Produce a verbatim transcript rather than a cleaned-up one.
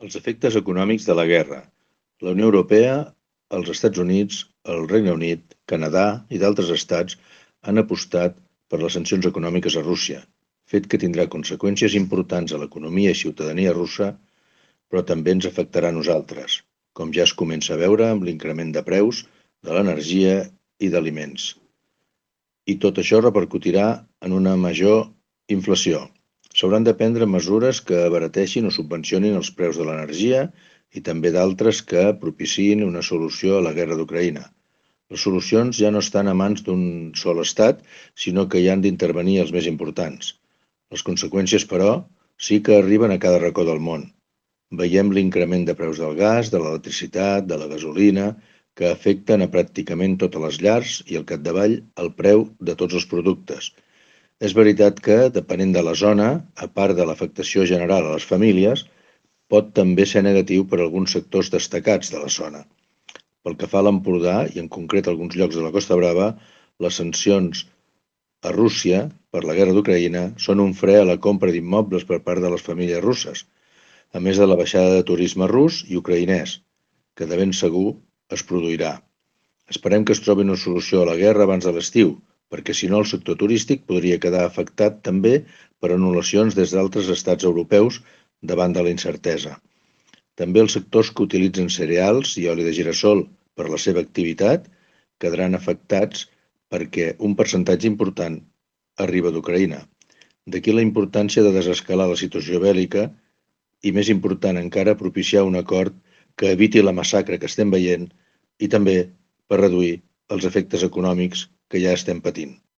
Els efectes econòmics de la guerra. La Unió Europea, els Estats Units, el Regne Unit, Canadà i d'altres estats han apostat per les sancions econòmiques a Rússia, fet que tindrà conseqüències importants a l'economia i ciutadania russa, però també ens afectarà a nosaltres, com ja es comença a veure amb l'increment de preus de l'energia i d'aliments. I tot això repercutirà en una major inflació. S'hauran de prendre mesures que abarateixin o subvencionin els preus de l'energia i també d'altres que propiciïn una solució a la guerra d'Ucraïna. Les solucions ja no estan a mans d'un sol estat, sinó que hi han d'intervenir els més importants. Les conseqüències, però, sí que arriben a cada racó del món. Veiem l'increment de preus del gas, de l'electricitat, de la gasolina, que afecten a pràcticament totes les llars i al capdavall el preu de tots els productes. És veritat que, depenent de la zona, a part de l'afectació general a les famílies, pot també ser negatiu per a alguns sectors destacats de la zona. Pel que fa a l'Empordà, i en concret a alguns llocs de la Costa Brava, les sancions a Rússia per la guerra d'Ucraïna són un fre a la compra d'immobles per part de les famílies russes, a més de la baixada de turisme rus i ucraïnès, que de ben segur es produirà. Esperem que es trobi una solució a la guerra abans de l'estiu, perquè si no el sector turístic podria quedar afectat també per anul·lacions des d'altres estats europeus davant de la incertesa. També els sectors que utilitzen cereals i oli de gira-sol per la seva activitat quedaran afectats perquè un percentatge important arriba d'Ucraïna. D'aquí la importància de desescalar la situació bèl·lica i, més important encara, propiciar un acord que eviti la massacre que estem veient i també per reduir els efectes econòmics que ja estem patint.